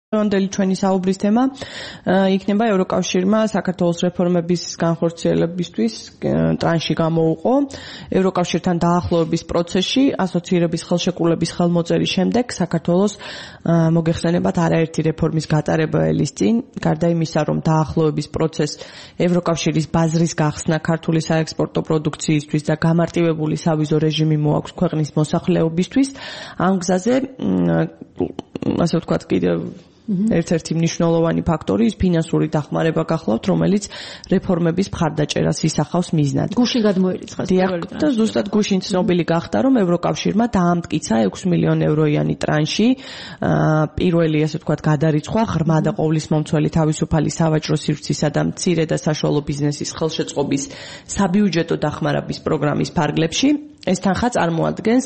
Ანდელი ჩვენი საუბრის თემა იქნება ევროკავშირმა საქართველოს რეფორმების განხორციელებისთვის ტრანში გამოუყო ევროკავშირთან დაახლოების პროცესში ასოცირების ხელშეკრულების ხელმოწერის შემდეგ საქართველოს მოგეხსენებათ არაერთი რეფორმის გატარება ელის წინ გარდა იმისა რომ დაახლოების პროცესს ევროკავშირის ბაზრის გახსნა ქართული საექსპორტო პროდუქციისთვის და გამარტივებული სავიზო რეჟიმი მოაქვს ქვეყნის მოსახლეობისთვის ამ გზაზე ასე ვთქვათ კიდევ ერთ-ერთი მნიშვნელოვანი ფაქტორი ის ფინანსური დახმარება გახლავთ, რომელიც რეფორმების მხარდაჭერას ისახავს მიზნად. გუშინ გადმოირიცხა და ზუსტად გუშინ ცნობილი გახდა, რომ ევროკავშირმა დაამტკიცა 6 მილიონი ევროიანი ტრანში პირველი ასე ვთქვათ გადარიცხვა ღრმა და ყოვლისმომცველი თავისუფალი სავაჭრო სივრცისა და მცირე და საშუალო ბიზნესის ხელშეწყობის საბიუჯეტო დახმარების პროგრამის ფარგლებში. ეს თანხა წარმოადგენს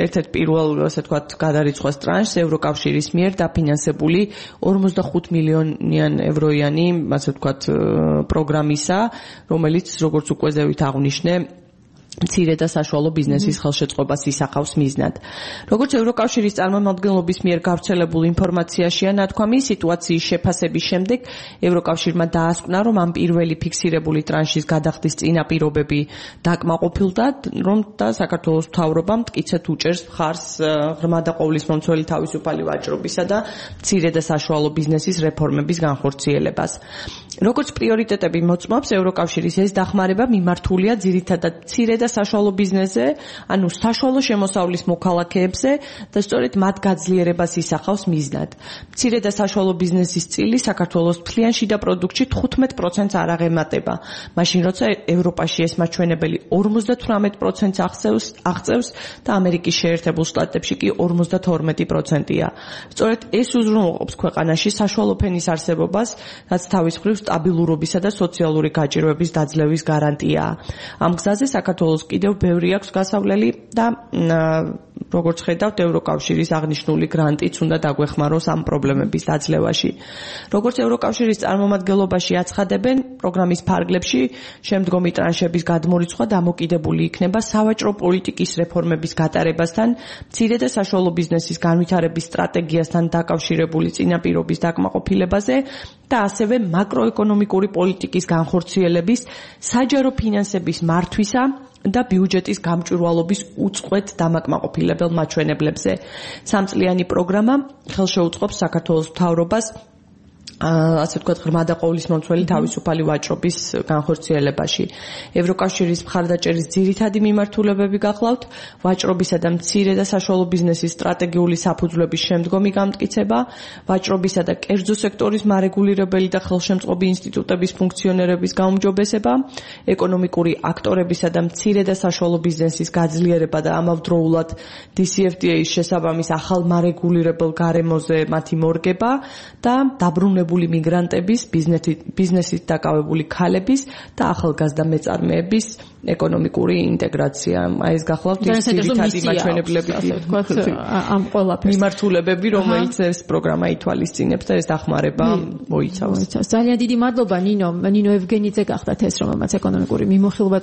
ერთ-ერთ პირველ ასე ვთქვათ გადარიცხვას ტრანშს ევროკავშირის მიერ დაფინანსებული 45 მილიონიან ევროიანი ასე ვთქვათ პროგრამისა, რომელიც როგორც უკვე ზევით აღვნიშნე მცირე და საშუალო ბიზნესის ხელშეწყობას ისახავს მიზნად. როგორც ევროკავშირის წარმომადგენლობის მიერ გავრცელებულ ინფორმაციაშია ნათქვამი, სიტუაციის შეფასების შემდეგ ევროკავშირმა დაასკვნა, რომ ამ პირველი ფიქსირებული ტრანშის გადახდის წინაპირობები დაკმაყოფილდა, რომ და საქართველოს მთავრობამ მტკიცედ უჭერს მხარს ღრმა და ყოვლისმომცველი თავისუფალი ვაჭრობისა და მცირე და საშუალო ბიზნესის რეფორმების განხორციელებას. როგორც პრიორიტეტები მოწმობს, ევროკავშირის ეს დახმარება მიმართულია ძირითადად მცირე და საშუალო ბიზნესზე, ანუ საშუალო შემოსავლის მოქალაქეებზე და სწორედ მათ გაძლიერებას ისახავს მიზნად. მცირე და საშუალო ბიზნესის წილი საქართველოს მთლიან შიდა პროდუქტში 15%-ს არ აღემატება, მაშინ როცა ევროპაში ეს მაჩვენებელი 58%-ს აღწევს და ამერიკის შეერთებულ შტატებში კი 52%-ია. სწორედ ეს უზრუნველყოფს ქვეყანაში საშუალო ფენის არსებობას, რაც თავის მხრივ სტაბილურობისა და სოციალური გაჭირვების დაძლევის გარანტიაა. ამ გზაზე საქართველოს კიდევ ბევრი აქვს გასავლელი და როგორც ხედავთ ევროკავშირის აღნიშნული გრანტიც უნდა დაგვეხმაროს ამ პრობლემების დაძლევაში. როგორც ევროკავშირის წარმომადგენლობაში აცხადებენ, პროგრამის ფარგლებში შემდგომი ტრანშების გადმორიცხვა დამოკიდებული იქნება სავაჭრო პოლიტიკის რეფორმების გატარებასთან, მცირე და საშუალო ბიზნესის განვითარების სტრატეგიასთან დაკავშირებული წინაპირობის დაკმაყოფილებაზე და ასევე მაკროეკონომიკური პოლიტიკის განხორციელების, საჯარო ფინანსების მართვისა და ბიუჯეტის გამჭვირვალობის უწყვეტ დამაკმაყოფილებელ მაჩვენებლებზე. სამწლიანი პროგრამა ხელშეუწყობს საქართველოს მთავრობას ასე ვთქვათ ღრმა და ყოვლისმომცველი თავისუფალი ვაჭრობის განხორციელებაში. ევროკავშირის მხარდაჭერის ძირითადი მიმართულებები გახლავთ ვაჭრობისა და მცირე და საშუალო ბიზნესის სტრატეგიული საფუძვლების შემდგომი გამტკიცება, ვაჭრობისა და კერძო სექტორის მარეგულირებელი და ხელშემწყობი ინსტიტუტების ფუნქციონერების გაუმჯობესება, ეკონომიკური აქტორებისა და მცირე და საშუალო ბიზნესის გაძლიერება და ამავდროულად DCFTA-ის შესაბამის ახალ მარეგულირებელ გარემოზე მათი მორგება და დაბრუნებული მიგრანტების, ბიზნესით დაკავებული ქალების და ახალგაზრდა მეწარმეების ეკონომიკური ინტეგრაცია. ეს გახლავთ ის ძირითადი მაჩვენებლები, ამ ყველაფერს მიმართულებები, რომელიც ეს პროგრამა ითვალისწინებს და ეს დახმარება მოიცავს. ძალიან დიდი მადლობა ნინო ევგენიძე გახდათ ეს, რომელმაც ეკონომიკური მიმოხილვა